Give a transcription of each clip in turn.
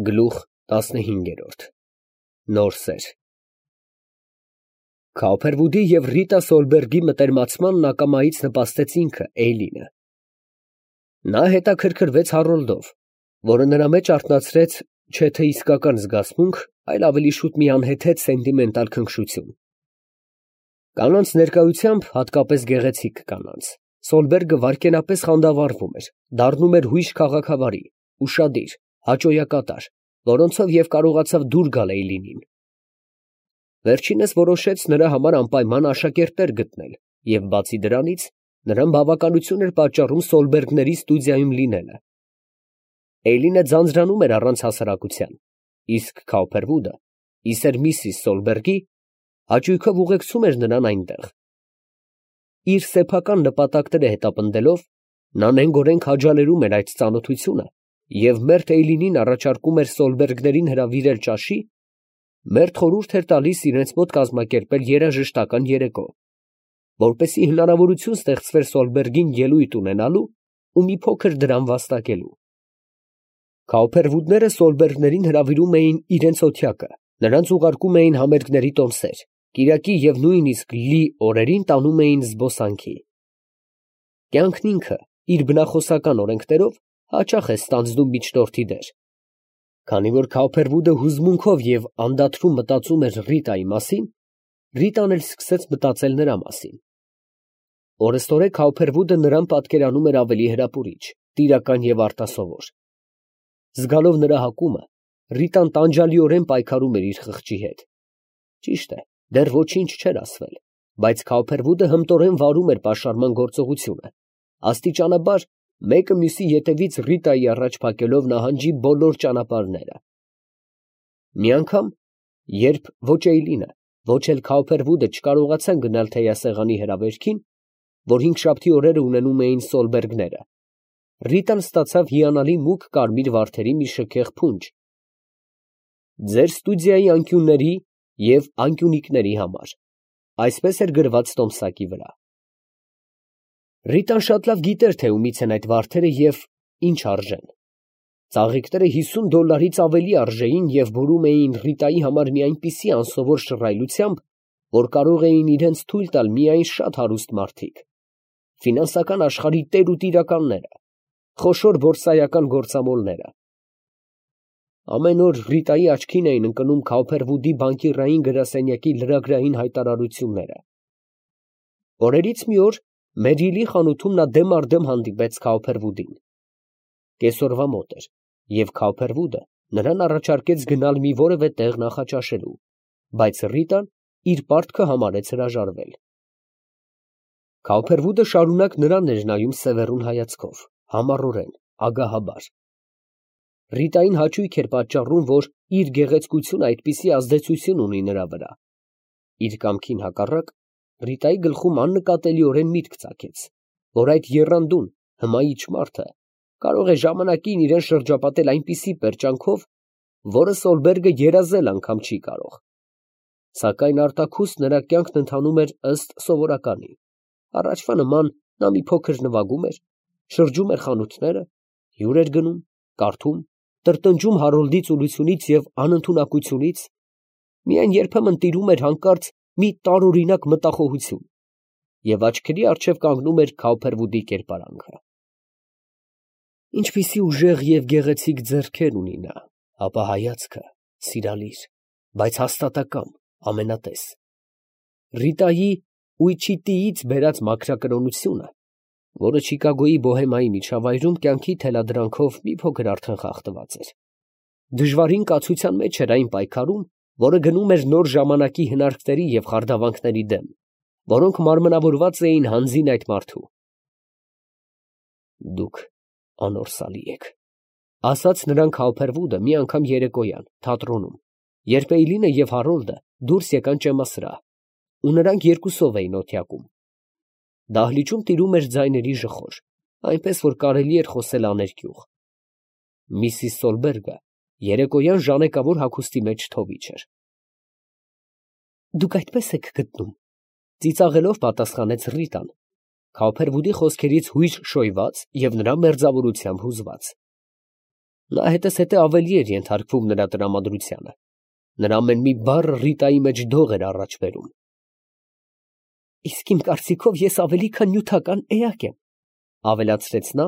Գլուխ 15 Նոր սեր Քոուփերվուդի և Ռիտա Սոլբերգի մտերմացմանն ակամայից նպաստեց ինքը, Էյլինը. նա հետաքրքրվեց Հարոլդով, որը նրա մեջ արթնացրեց չէ թե իսկական զգացմունք, այլ ավելի շուտ մի անհեթեթ սենտիմենտալ քնքշություն։ Կանանց ներկայությամբ, հատկապես գեղեցիկ կանանց, Սոլբերգը վայրկենապես խանդավառվում էր, դառնում էր հույժ քաղաքավարի, ուշադիր, հաճոյակատար, որոնցով և կարողացավ դուր գալ Էյլինին։ Վերջինս որոշեց նրա համար անպայման աշակերտներ գտնել և, բացի դրանից, նրան բավականություն էր պատճառում Սոլբերգների ստուդիայում լինելը։ Էյլինը ձանձրանում էր առանց հասարակության, իսկ Քոուփերվուդը, իսեր Միսիս Սոլբերգի, հաճույքով ուղեկցում էր նրան այնտեղ։ Իր սեփական նպատակները հետապնդելով, նա նենգորեն քաջալերում էր այդ ծանոթությունը և մերթ Էյլինին առաջարկում էր Սոլբերգներին հրավիրել ճաշի, մերթ խորհուրդ էր տալիս իրենց մոտ կազմակերպել երաժշտական երեկո, որպեսզի հնարավորություն ստեղծվեր Սոլբերգին ելույթ ունենալու ու մի փոքր դրամ վաստակելու։ Քոուփերվուդները Սոլբերգներին հրավիրում էին իրենց օթյակը, նրանց ուղարկում էին համերգների տոմսեր, կիրակի և նույնիսկ լի օրերին տանում էին զբոսանքի։ Կյանքն ինքը, իր բնախոսական օրենքներով, հաճախ է ստանձնում միջնորդի դեր։ Քանի որ Քոուփերվուդը հուզմունքով և անդադրում մտածում էր Ռիտայի մասին, Ռիտան էլ սկսեց մտածել նրա մասին։ Օրըստօրե Քոուփերվուդը նրան պատկերանում էր ավելի հրապուրիչ, տիրական և արտասովոր։ Զգալով նրա հակումը, Ռիտան տանջալիորեն պայքարում էր իր խղճի հետ։ Ճիշտ է, դեռ ոչինչ չէր ասվել, բայց Քոուփերվուդը հմտորեն վարում էր պաշարման գործողությունը, աստիճանաբար մեկը մյուսի ետևից Ռիտայի առաջ փակելով նահանջի բոլոր ճանապարհները։ Մի անգամ, երբ ոչ Էյլինը, ոչ էլ Քոուփերվուդը չկարողացան գնալ թեյասեղանի հրավերքին, որ հինգշաբթի օրերը ունենում էին Սոլբերգները, Ռիտան ստացավ հիանալի մուգ կարմիր վարդերի մի շքեղ փունջ. «Ձեր ստուդիայի անկյունների և անկյունիկների համար», այսպես էր գրված տոմսակի վրա։ Ռիտան շատ լավ գիտեր, թե ումից են այդ վարդերը և ինչ արժեն։ Ծաղիկները $50-ից ավելի արժեին և բերում էին Ռիտայի համար մի այնպիսի անսովոր շռայլությամբ, որ կարող էին իրենց թույլ տալ միայն շատ հարուստ մարդիկ, ֆինանսական աշխարհի տեր ու տիրականները, խոշոր բորսայական գործամոլները։ Ամեն օր Ռիտայի աչքին էին ընկնում Քոուփերվուդի բանկիրային գրասենյակի լրագրային հայտարարությունները։ Օրերից մի օր Մերիլի խանութում նա դեմ առ դեմ հանդիպեց Քոուփերվուդին։ Կեսօրվա մոտ էր, և Քոուփերվուդը նրան առաջարկեց գնալ մի որևէ տեղ նախաճաշելու, բայց Ռիտան իր պարտքը համարեց հրաժարվել։ Քոուփերվուդը շարունակ նրան էր նայում սևեռուն հայացքով, համառորեն, ագահաբար։ Ռիտային հաճույք էր պատճառում, որ իր գեղեցկությունը այդպիսի ազդեցություն ունի նրա վրա։ Իր կամքին հակառակ, Ռիտայի գլխում աննկատելիորեն միտք ծագեց, որ այդ եռանդուն, հմայիչ մարդը կարող է ժամանակին իրան շրջապատել այնպիսի պերճանքով, որը Սոլբերգը երազել անգամ չի կարող։ Սակայն արտաքուստ նրա կյանքն ընթանում էր ըստ սովորականի. առաջվա նման նա մի փոքր նվագում էր, շրջում էր խանութները, հյուր էր գնում, կարդում, տրտնջում Հարոլդի ծուլությունից և անընդունակությունից, միայն երբեմն տիրում էր հանկարծ մի տարօրինակ մտախոհություն, և աչքերի առջև կանգնում էր Քոուփերվուդի կերպարանքը։ Ինչպիսի ուժեղ և գեղեցիկ ձեռքեր ունի նա, ապա հայացքը սիրալիր, բայց հաստատակամ, ամենատես։ Ռիտայի Ուիչիտիից բերած մաքրակրոնությունը, որը Չիկագոյի բոհեմայի միջավայրում կյանքի թելադրանքով մի փոքր արդեն խախտված էր, դժվարին կացության մեջ էր այն պայքարում, որը գնում էր նոր ժամանակի հնարքների և խարդավանքների դեմ, որոնք մարմնավորված էին հանձին այդ մարդու։ «Դուք անորսալի եք», ֊ ասաց նրան Քոուփերվուդը մի անգամ երեկոյան, թատրոնում, երբ Էյլինը և Հարոլդը դուրս եկան ճեմասրահ, ու նրանք երկուսով էին օթյակում։ Դահլիճում տիրում էր ձայների ժխոր, այնպես որ կարելի էր խոսել աներկյուղ։ Միսիս Սոլբերգը երեկոյան ժանեկավոր հագուստի մեջ թովիչ էր։ «Դուք այդպես եք գտնում», ֊ ծիծաղելով պատասխանեց Ռիտան, Քոուփերվուդի խոսքերից հույժ շոյված և նրա մերձավորությամբ հուզված։ Նա հետզհետե ավելի էր ենթարկվում նրա տրամադրությանը. նրա ամեն մի բառը Ռիտայի մեջ դող էր առաջ բերում։ Իսկ իմ կարծիքով ես ավելի քան նյութական էակ եմ, ավելացրեց նա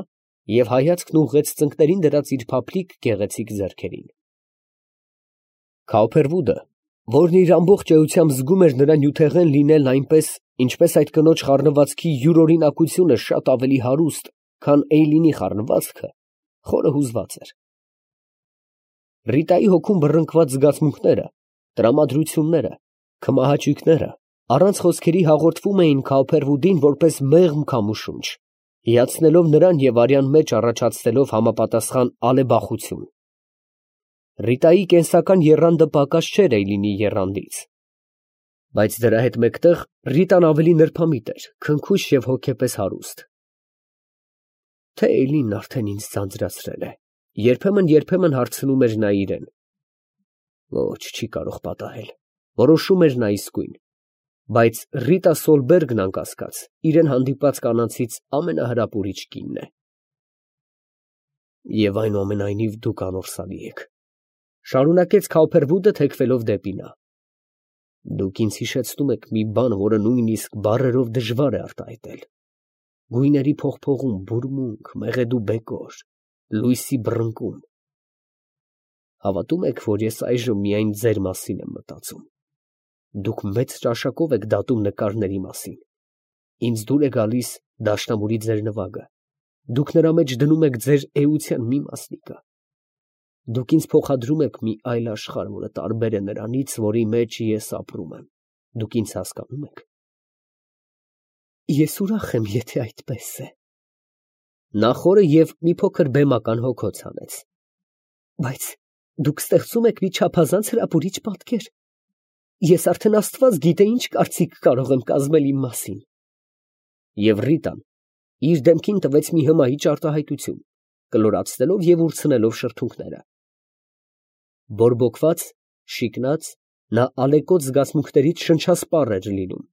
և հայացքն ուղղեց ծնկներին դրած իր փափլիկ գեղեցիկ ձեռքերին։ Քաուփերվուդը, որն իր ամբողջ էությամբ զգում էր նրա նյութեղեն լինելն այնպես, ինչպես այդ կնոջ խառնվածքի յուրօրինակությունը շատ ավելի հարուստ, քան Էյլինի խառնվածքը, խորը հուզված էր։ Ռիտայի հոգում բռնկված զգացմունքները, տրամադրությունները, քմահաճույքները առանց խոսքերի հաղորդվում էին Քաուփերվուդին որպես մեղմ քամու շունչ, հիացնելով նրան և արյան մեջ առաջացնելով համապատասխան ալեբախություն։ Ռիտայի կենսական եռանդը պակաս չէր Էյլինի եռանդից, բայց դրա հետ մեկտեղ Ռիտան ավելի նրբամիտ էր, քնքուշ և հոգեպես հարուստ։ Թե Էյլինն արդեն ինձ ձանձրացրել է, երբեմն հարցնում էր նա իրեն։ Ոչ, չի կարող պատահել, որոշում էր նա իսկույն, բայց Ռիտա Սոլբերգն անկասկած իրեն հանդիպած կանանցից ամենահրապուրիչ կինն է։ Եվ այնուամենայնիվ դուք անորսալի եք, շարունակեց Քաուփերվուդը թեքվելով դեպի նա։ Դուք ինձ հիշեցնում եք մի բան, որը նույնիսկ բառերով դժվար է արտահայտել։ Գույների փողփողում, բուրմունք, մեղեդու բեկոր, լույսի բռնկում։ Հավատում եք, որ ես այժմ միայն ձեր մասին եմ մտածում։ Դուք մեծ ճաշակով եք դատում նկարների մասին։ Ինձ դուր է գալիս դաշնամուրի ձեր նվագը։ Դուք նրա մեջ դնում եք ձեր էության մի մասնիկը։ Դուք ինձ փոխադրում եք մի այլ աշխարհ, որը տարբեր է նրանից, որի մեջ ես ապրում եմ։ Դուք ինձ հասկանում եք։ Ես ուրախ եմ, եթե այդպես է։ Նա խորը և մի փոքր բեմական հոգոց հանեց։ Բայց դուք ստեղծում եք մի չափազանց հրապուրիչ պատկեր։ Ես արդեն Աստված գիտե ինչ կարծիք կարող եմ կազմել իմ մասին։ Եվ Ռիտան իր դեմքին տվեց մի հմայիչ արտահայտություն, կլորացնելով և ուրցնելով շրթունքները։ Բորբոքված, շիկնած, նա ալեկոծ զգացմունքներից շնչասպառ էր լինում։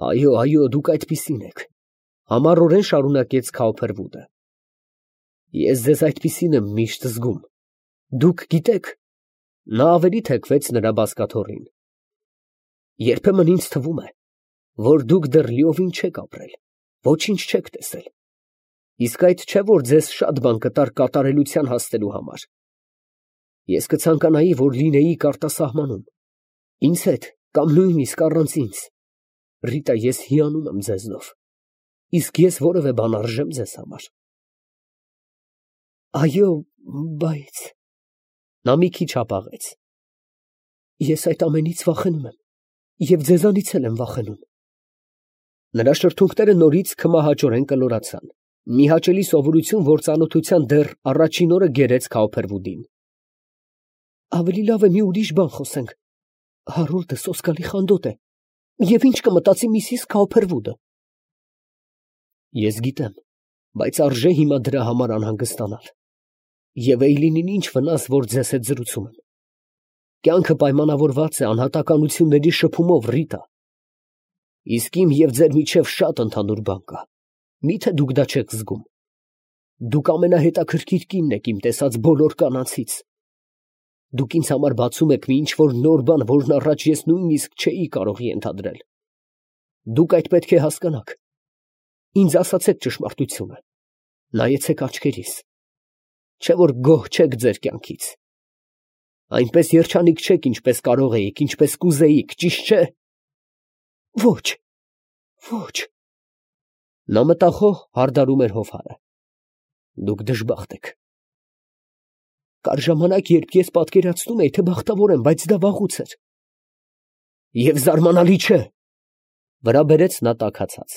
Այո, դուք այդպիսին եք, համառորեն շարունակեց Քաուփերվուդը։ Ես ձեզ այդպիսին եմ միշտ զգում։ Դուք գիտեք, նա ավելի թեքվեց նրա բազկաթոռին։ Երբեմն ինձ թվում է, որ դուք դեռ լիովին չեք ապրել, ոչինչ չեք տեսել։ Իսկ այդ չէ, որ ձեզ շատ բան կտար կատարելության հասնելու համար։ Ես կցանկանայի, որ լինեիք արտասահմանում, ինձ հետ կամ նույնիսկ առանց ինձ։ Ռիտա, ես հիանում եմ ձեզնով, իսկ ես որևէ բան արժեմ ձեզ համար։ Այո, բայց… Նա մի քիչ հապաղեց։ Ես այդ ամենից վախենում եմ և ձեզանից էլ եմ վախենում։ Նրա շրթունքները նորից քմահաճորեն կլորացան։ Մի հաճելի սովորություն, որ ծանոթության դեռ առաջին օրը գերեց Քաուփերվուդին։ Ավելի լավ է մի ուրիշ բան խոսենք։ Հարոլդը սոսկալի խանդոտ է։ Եվ ինչ կմտածի Միսիս Քաուփերվուդը։ Ես գիտեմ, բայց արժե հիմա դրա համար անհանգստանալ։ Եվ Էյլինին ինչ վնաս, որ ձեզ հետ զրուցում եմ։ Կյանքը պայմանավորված է անհատականությունների շփումով, Ռիտա։ Իսկ իմ և ձեր միջև շատ ընդհանուր բան կա։ Մի՞թե դուք դա չեք զգում։ Դուք ամենահետաքրքիր կինն եք իմ տեսած բոլոր կանանցից։ Դուք ինձ համար բացում եք մի ինչ֊որ նոր բան, որն առաջ ես նույնիսկ չէի կարող ենթադրել։ Դուք այդ պետք է հասկանաք։ Ինձ ասացեք ճշմարտությունը։ Նայեցեք աչքերիս։ Չէ՞ որ գոհ չեք ձեր կյանքից։ Այնպես երջանիկ չեք, ինչպես կարող էիք, ինչպես կուզեիք, ճիշտ չէ։ Ոչ, ոչ։ Նա մտախոհ հարդարում էր հովհարը։ Դուք դժբախտ եք։ Կար ժամանակ, երբ ես պատկերացնում էի, թե բախտավոր եմ, բայց դա վաղուց էր։ Եվ զարմանալի չէ, վրա բերեց նա տաքացած։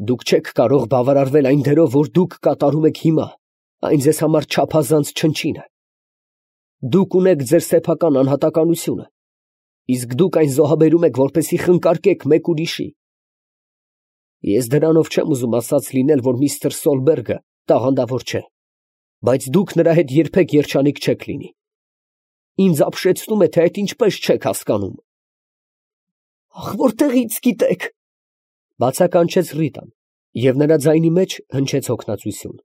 Դուք չեք կարող բավարարվել այն դերով, որ դուք կատարում եք հիմա, այն ձեզ համար չափազանց չնչին է։ Դուք ունեք ձեր սեփական անհատականությունը, իսկ դուք այն զոհաբերում եք, որպեսզի խնկարկեք մեկ ուրիշի։ Ես դրանով չեմ ուզում ասած լինել, որ միստր Սոլբերգը տաղանդավոր չէ, բայց դուք նրա հետ երբեք երջանիկ չեք լինի։ Ինձ ապշեցնում է, թե այդ ինչպես չեք հասկանում։ Ախ, որտեղից գիտեք, բացականչեց Ռիտան, և նրա ձայնի մեջ հնչեց հոգնածություն։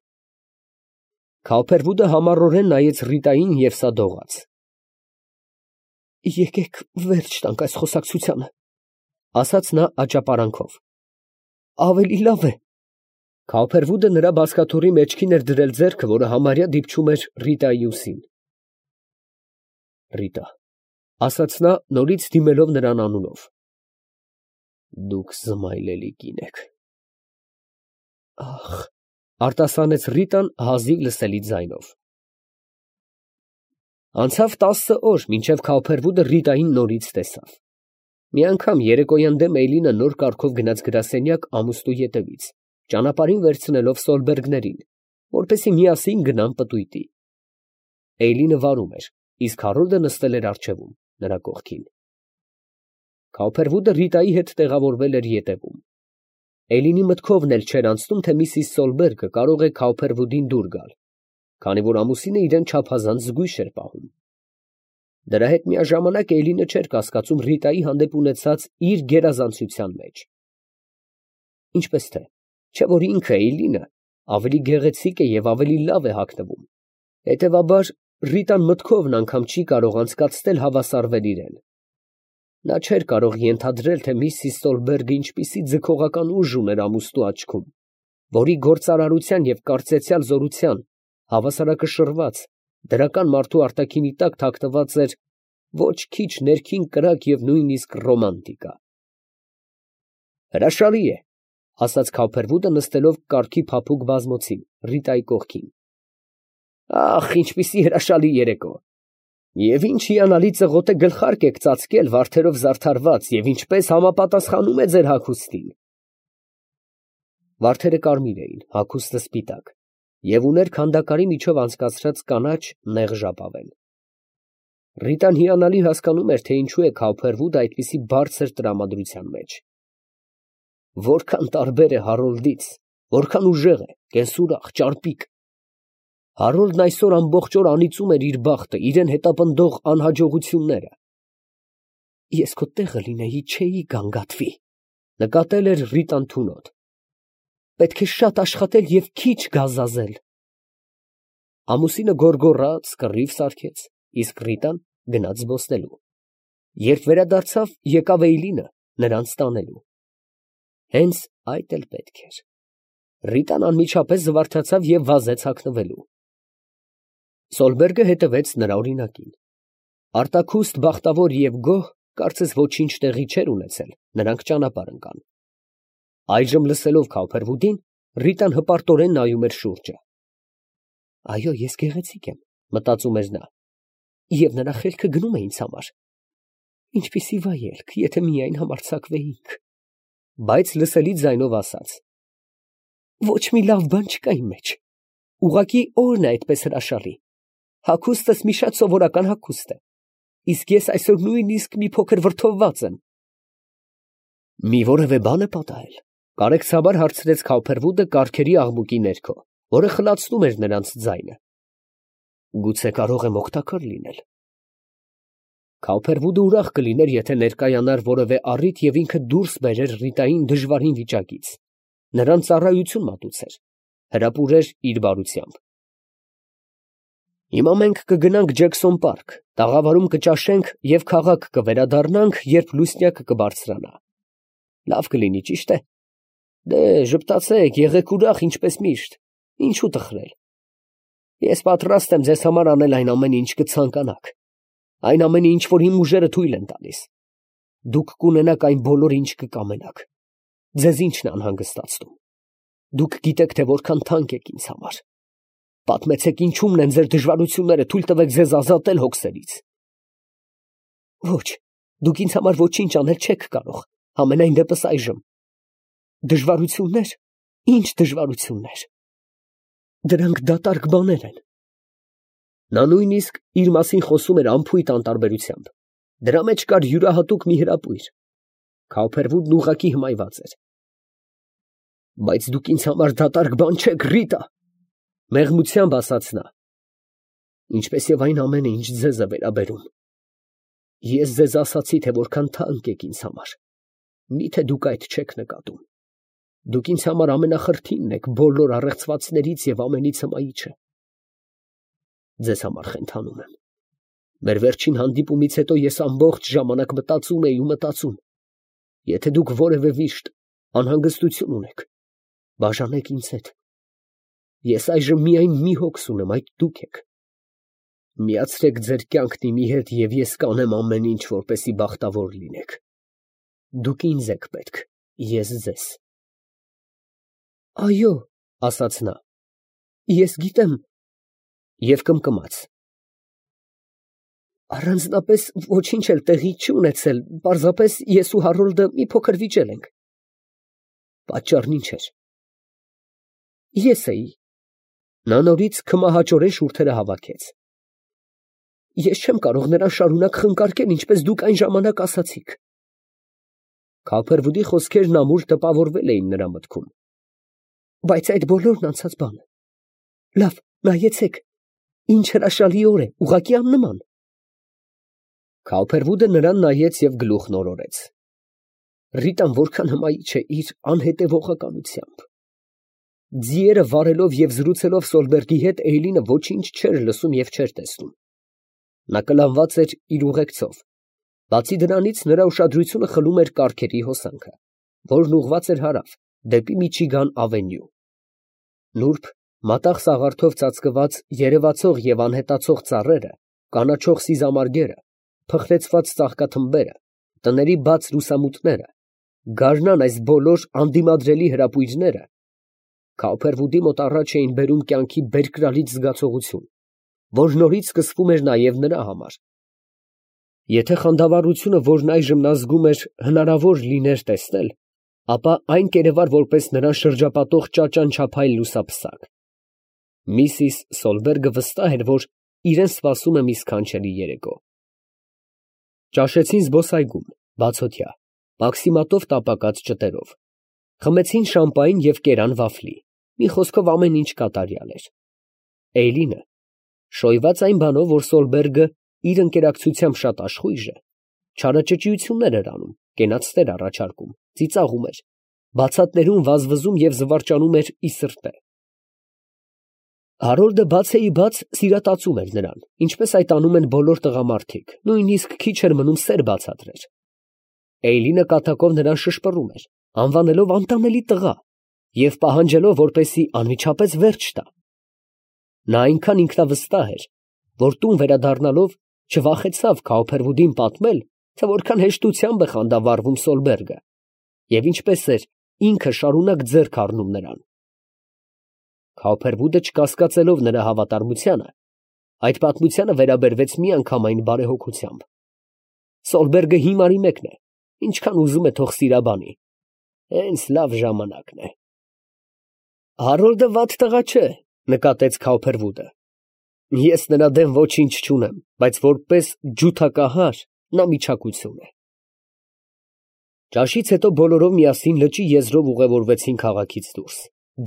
Քալփերվուդը համառորեն նայեց Ռիտային և սա դողաց։ Եկեք վերջ տանք այս խոսակցությանը, ասաց նա աճապարանքով։ Ավելի լավ է։ Քալփերվուդը նրա բազկաթոռի մեջքին էր դրել ձեռքը, որը համարյա դիպչում էր Ռիտայի ուսին։ Ռիտա, ասաց նա, նորից դիմելով նրան անունով։ Դուք զմայլելի կին եք։ Ախ, արտասանեց Ռիտան հազիվ լսելի ձայնով։ Անցավ 10 օր, մինչև Քալփերվուդը Ռիտային նորից տեսավ։ Մի անգամ երեկոյան դեմ Էյլինը նոր կարգով գնաց գրասենյակ ամուսնու ետևից, ճանապարհին վերցնելով Սոլբերգներին, որպեսզի միասին գնան պտույտի։ Էյլինը վարում էր, իսկ Հարոլդը նստել էր առջևում, նրա կողքին։ Քալփերվուդը Ռիտայի հետ տեղավորվել էր ետևում։ Էլինի մտքովն էլ չէր անցնում, թե միսիս Սոլբերգը կարող է Քալփերվուդին դուր գալ, քանի որ ամուսինը իրեն չափազանց զգույշ էր պահում։ Դրա հետ միաժամանակ Էլինը չէր կասկածում Ռիտայի հանդեպ ունեցած իր գերազանցության մեջ։ Ինչպես թե, չէ որ ինքը Էյլինը ավելի գեղեցիկ է և ավելի լավ է հագնվում, հետևաբար Ռիտան մտքովն անգամ չի կարող անցկացնել հավասարվել իրեն։ Նա չէր կարող ենթադրել, թե միսիս Սոլբերգը ինչպիսի ձգողական ուժ ուներ ամուսնու աչքում, որի գործարարության և կարծեցյալ զորության հավասարակշռված դրական մարդու արտաքինի տակ թաքնված էր ոչ քիչ ներքին կրակ և նույնիսկ ռոմանտիկա։ Հրաշալի է, ասաց Քալփերվուդը նստելով կառքի փափուկ բազմոցին Ռիտայի կողքին։ Ախ, ինչպիսի հրաշալի երեկո։ Եվ ինչ հիանալի ծղոտե գլխարկ եք ծածկել վարդերով զարդարված, և ինչպես համապատասխանում է ձեր հագուստին։ Վարդերը կարմիր էին, հագուստը սպիտակ, և ուներ քանդակարի միջով անցկացրած կանաչ նեղ ժապավեն։ Ռիտան հիանալի հասկանում էր, թե ինչու է Քալփերվուդը այդպիսի բարձր տրամադրության մեջ։ Որքան տարբեր է Հարոլդից, որքան ուժեղ է, կենսուրախ, ճարպիկ։ Հարոլդն այսօր ամբողջ օր անիծում էր իր բախտը, իրեն հետապնդող անհաջողությունները։ Ես քո տեղը լինեի, չէի գանգատվի, նկատել էր Ռիտան թունոտ։ Պետք է շատ աշխատել և քիչ գազազել։ Ամուսինը գոռգոռաց, կռիվ սարքեց, իսկ Ռիտան գնաց զբոսնելու։ Երբ վերադարձավ, եկավ Էյլինը նրանց տանելու։ Հենց այդ էլ պետք էր։ Ռիտան անմիջապես զվարթացավ և վազեց հագնվելու։ Սոլբերգը հետևեց նրա օրինակին։ Արտաքուստ, բախտավոր և գոհ, կարծես ոչինչ տեղի չէր ունեցել, նրանք ճանապարհ ընկան։ Այժմ լսելով Քալփերվուդին, Ռիտան հպարտորեն նայում էր շուրջը։ Այո, ես գեղեցիկ եմ, մտածում էր նա, և նրա խելքը գնում է ինձ համար։ Ինչպիսի վայելք, եթե միայն համարձակվեինք։ Բայց լսելի ձայնով ասաց. Ոչ մի լավ բան չկա իմ մեջ։ Ուղղակի օրն է այդպես հրաշալի։ Հագուստս մի շատ սովորական հագուստ է, իսկ ես այսօր նույնիսկ մի փոքր վրդովված եմ։ Մի որևէ բան է պատահել, կարեկցաբար հարցրեց Քալփերվուդը կառքերի աղմուկի ներքո, որը խլացնում էր նրանց ձայնը։ Գուցե կարող եմ օգտակար լինել։ Քալփերվուդը ուրախ կլիներ, եթե ներկայանար որևէ առիթ և ինքը դուրս բերեր Ռիտային դժվարին վիճակից, նրան ծառայություն մատուցեր, հրապուրեր իր բարությամբ։ Հիմա մենք կգնանք Ջեքսոն պարկ, տաղավարում կճաշենք և քաղաք կվերադառնանք, երբ լուսնյակը կբարձրանա։ Լավ կլինի, ճիշտ է։ Դե, ժպտացեք, եղեք ուրախ, ինչպես միշտ, ինչու տխրել։ Ես պատրաստ եմ ձեզ համար անել այն ամենը, ինչ կցանկանաք, այն ամենը, ինչ որ իմ ուժերը թույլ են տալիս։ Դուք կունենաք այն բոլորը, ինչ կկամենաք։ Ձեզ ինչն է անհանգստացնում։ Դուք գիտեք, թե որքան թանկ եք ինձ համար։ Պատմեցեք ինչումն են ձեր դժվարությունները, թույլ տվեք ձեզ ազատել հոգսերից։ Ոչ, դուք ինձ համար ոչինչ անել չեք կարող, համենայն դեպս այժմ։ Դժվարություններ, ինչ դժվարություններ։ Դրանք դատարկ բաներ են։ Նա նույնիսկ իր մասին խոսում էր անփույթ անտարբերությամբ։ Դրա մեջ կար յուրահատուկ մի հրապույր։ Քալփերվուդն ուղղակի հմայված էր։ Բայց դուք ինձ համար դատարկ բան չեք, Ռիտա, մեղմությամբ ասաց նա։ Ինչպես և այն ամենը, ինչ ձեզ է վերաբերում։ Ես ձեզ ասացի, թե որքան թանկ եք ինձ համար։ Միթե դուք այդ չեք նկատում։ Դուք ինձ համար ամենախրթինն եք բոլոր առեղծվածներից և ամենից հմայիչը։ Ձեզ համար խենթանում եմ։ Մեր վերջին հանդիպումից հետո ես ամբողջ ժամանակ մտածում. եթե դուք որևէ վիշտ, անհանգստություն ունեք, բաժանեք ինձ հետ։ Ես այժմ միայն մի հոգս ունեմ, այդ դուք եք։ Միացրեք ձեր կյանքն իմի հետ, և ես կանեմ ամեն ինչ, որպեսզի բախտավոր լինեք։ Դուք ինձ եք պետք, ես ձեզ։ Այո, ասաց նա, ես գիտեմ, և կմկմաց։ Առանձնապես ոչինչ էլ տեղի չի ունեցել, պարզապես ես ու Հարոլդը մի փոքր վիճել ենք։ Պատճառն ինչ էր։ Ես էի։ Նա նորից քմահաճորեն շուրթերը հավաքեց։ Ես չեմ կարող նրան շարունակ խնկարկել, ինչպես դուք այն ժամանակ ասացիք։ Քափերվուդի խոսքերն ամուր տպավորվել էին նրա մտքում։ Բայց այդ բոլորն անցած բան է։ Լավ, նայեցեք, ինչ հրաշալի օր է, ուղղակի աննման։ Քափերվուդը նրան նայեց և գլուխն օրորեց։ Ռիտան որքան հմայիչ է իր անհետևողականությամբ։ Ձիերը վարելով և զրուցելով Սոլբերգի հետ, Էյլինը ոչինչ չէր լսում և չէր տեսնում։ Նա կլանված էր իր ուղեկցով։ Բացի դրանից, նրա ուշադրությունը խլում էր կառքերի հոսանքը, որն ուղղված էր հարավ, դեպի Միչիգան ավենյու։ Նուրբ, մատաղ սաղարթով ծածկված երևացող և անհետացող ծառերը, կանաչող սիզամարգերը, փխրեցված ծաղկաթմբերը, տների բաց լուսամուտները, գարնան այս բոլոր անդիմադրելի հրապույրները Քափերվուդի մոտ առաջ էին բերում կյանքի բերկրալից զգացողություն, որ նորից սկսվում էր նաև նրա համար։ Եթե խանդավառությունը, որն այժմ նա զգում էր, հնարավոր լիներ տեսնել, ապա այն կերևար որպես նրան շրջապատող ճաճանչափայլ լուսափսակ։ Միսիս Սոլբերգը վստահ էր, որ իրեն սպասում է մի սքանչելի երեկո։ Ճաշեցին զբոսայգում, բացօթյա, մաքսիմատով տապակած ճտերով։ Խմեցին շամպայն և կերան վաֆլի, մի խոսքով ամեն ինչ կատարյալ էր։ Էյլինը, շոյված այն բանով, որ Սոլբերգը իր ընկերակցությամբ շատ աշխույժ է, չարաճճիություններ էր անում, կենացներ առաջարկում, ծիծաղում էր, բացատներում վազվզում և զվարճանում էր ի սրտե։ Հարոլդը բացեիբաց սիրատացում էր նրան, ինչպես այդ անում են բոլոր տղամարդիկ, նույնիսկ քիչ էր մնում սեր բացատրեր։ Էյլինը կատակով նրան շշպռում էր, անվանելով անտանելի տղա և պահանջելով, որպեսզի անմիջապես վերջ տա։ Նա այնքան ինքնավստահ էր, որ տուն վերադառնալով չվախեցավ Քափերվուդին պատմել, թե որքան հեշտությամբ է խանդավառվում Սոլբերգը և ինչպես էր ինքը շարունակ ձեռք առնում նրան։ Քափերվուդը, չկասկածելով նրա հավատարմությանը, այդ պատմությանը վերաբերվեց միանգամայն բարեհոգությամբ։ Սոլբերգը հիմարի մեկն է, ինչքան ուզում է թող սիրաբանի, հենց լավ ժամանակն է։ Հարոլդը վատ տղա չէ, նկատեց Քափերվուդը։ Ես նրա դեմ ոչինչ չունեմ, բայց որպես ջութակահար նա միչակություն է։ Ճաշից հետո բոլորով միասին լճի եզրով ուղևորվեցին քաղաքից դուրս,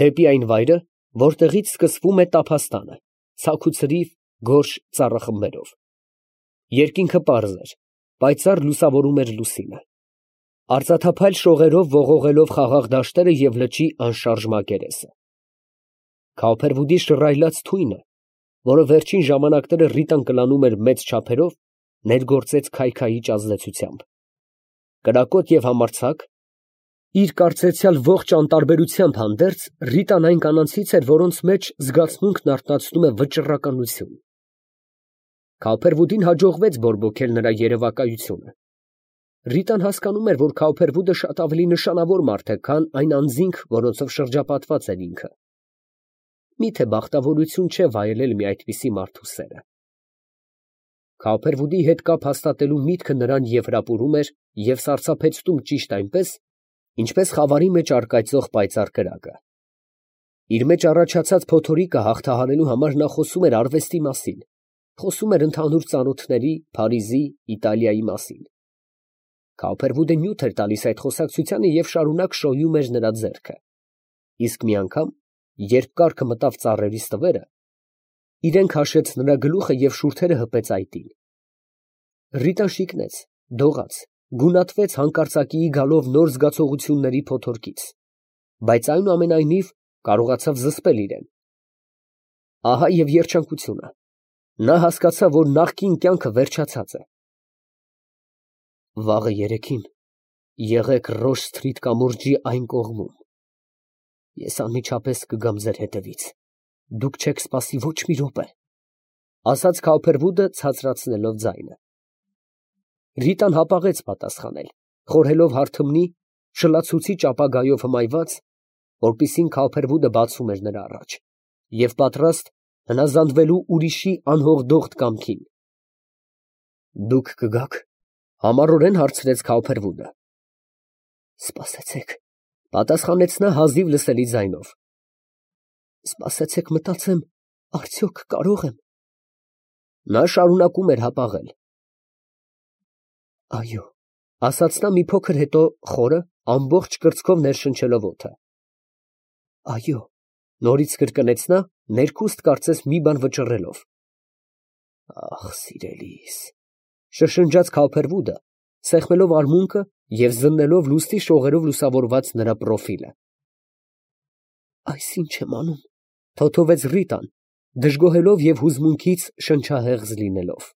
դեպի այն վայրը, որտեղից սկսվում է տափաստանը, ցաքուցրիվ, գորշ ծառախմբերով։ Երկինքը պարզ էր, պայծառ լուսավորում էր լուսինը։ Արծաթափայլ շողերով ողողելով խաղաղ դաշտերը և լճի անշարժ մակերեսը։ Քափերվուդի շռայլած թույնը, որը վերջին ժամանակները Ռիտան կլանում էր մեծ չափերով, ներգործեց քայքայիչ ազդեցությամբ։ Կրակոտ և համարձակ, իր կարծեցյալ ողջ անտարբերությամբ հանդերձ, Ռիտան այն կանանցից էր, որոնց մեջ զգացմունքն արթնացնում է վճռականություն։ Քափերվուդին հաջողվեց բորբոքել նրա երևակայությունը։ Ռիտան հասկանում էր, որ Քափերվուդը շատ ավելի նշանավոր մարդ է, քան այն անձինք, որոնցով շրջապատված էր ինքը։ Միթե բախտավորություն չէ վայելել մի այդպիսի մարդու սերը։ Քափերվուդի հետ կապ հաստատելու միտքը նրան և հրապուրում էր, և սարսափեցնում ճիշտ այնպես, ինչպես խավարի մեջ առկայծող պայծառ կրակը։ Իր մեջ առաջացած փոթորիկը հաղթահարելու համար նա խոսում էր արվեստի մասին, խոսում էր ընդհանուր ծանոթների, Փարիզի, Իտալիայի մասին։ Քափերվուդը նյութ էր տալիս այդ խոսակցությանը և շարունակ շոյում էր նրա ձեռքը։ Իսկ մի անգամ, երբ կառքը մտավ ծառերի ստվերը, իրեն քաշեց նրա գլուխը և շուրթերը հպեց այտին։ Ռիտան շիկնեց, դողաց, գունատվեց հանկարծակիի գալով նոր զգացողությունների փոթորկից, բայց այնուամենայնիվ կարողացավ զսպել իրեն։ Ահա և երջանկությունը, Նա հասկացավ, որ նախկին կյանքը վերջացած է։ Վաղը երեքին եղեք Ռոշ Սթրիթ կամուրջի այն կողմում։ Ես անմիջապես կգամ ձեր հետևից։ Դուք չեք սպասի ոչ մի րոպե, ասաց Քաուփերվուդը ցածրացնելով ձայնը։ Ռիտան հապաղեց պատասխանել, խորհելով հարթմնի շլացուցիչ ապագայով հմայված, որպիսին Քաուփերվուդը բացում էր նրա առաջ, և պատրաստ հնազանդվելու ուրիշի անհողդողդ կամքին։ Դուք կգաք, համառորեն հարցրեց Քաուփերվուդը։ Սպասեցեք, պատասխանեց նա հազիվ լսելի ձայնով։ Սպասեցեք, մտածեմ, արդյոք կարող եմ։ Նա շարունակում էր հապաղել։ Այո, ասաց նա մի փոքր հետո խորը, ամբողջ կրծքով ներշնչելով օդը։ Այո, նորից կրկնեց նա, ներքուստ կարծես մի բան վճռելով։ Ախ, սիրելիս, շշնջաց Քաուփերվուդը, սեղմելով արմունկը և զննելով լուսնի շողերով լուսավորված նրա պրոֆիլը։ Այս ինչ եմ անում, թոթովեց Ռիտան, դժգոհելով և հուզմունքից շնչահեղձ լինելով։